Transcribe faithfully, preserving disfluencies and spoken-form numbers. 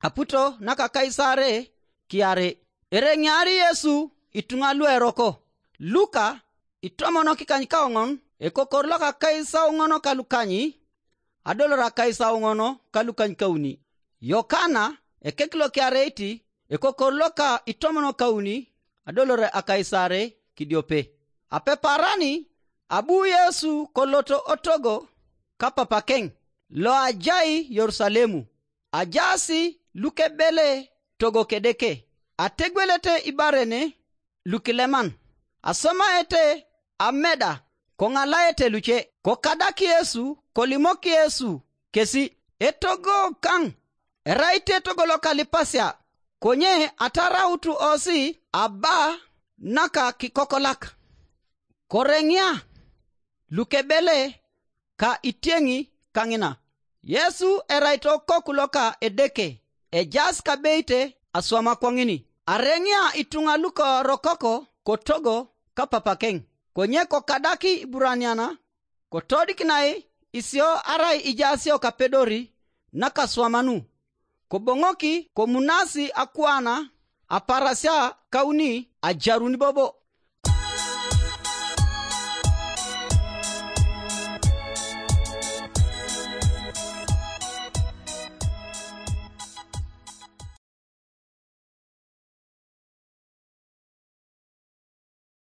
aputo naka Kaisare kiare. Ereŋiari Yesu ituŋa lueroko. Luka itomonokikany kaoŋon, ekokor loka kaisauŋon kalukany, adolor akaisauŋon kalukany kauni. Yokana ekek lokiareit, ekokor loka itomonokauni, adolor akaisare kidiope. Apeparani abu Yesu koloto otogo kapapakeŋ loajai Yerusalemu. Ajaas lukebele togo Kedeke, ategwelete ibaren lukileman, asomaete ameda, koŋalaete luce. Kokadak Yesu, kolimok Yesu kesi, etogo kaŋ, erai te togo lokalipasia, konye atarautu osi aba naka kikokolak. Koreŋia lukebele ka itieŋi kaŋina. Yesu erai to koku loka Edeke, ejaas kabeite aswama kwaŋini. Areŋia ituŋa lukorokoko kotogo kapapakeŋ, konye kokadak Iburaniana, kotodikinai isio arai ijaasio kapedori nakaswamanu, koboŋoki komunasi akuana aparasia kauni ajarun bobo.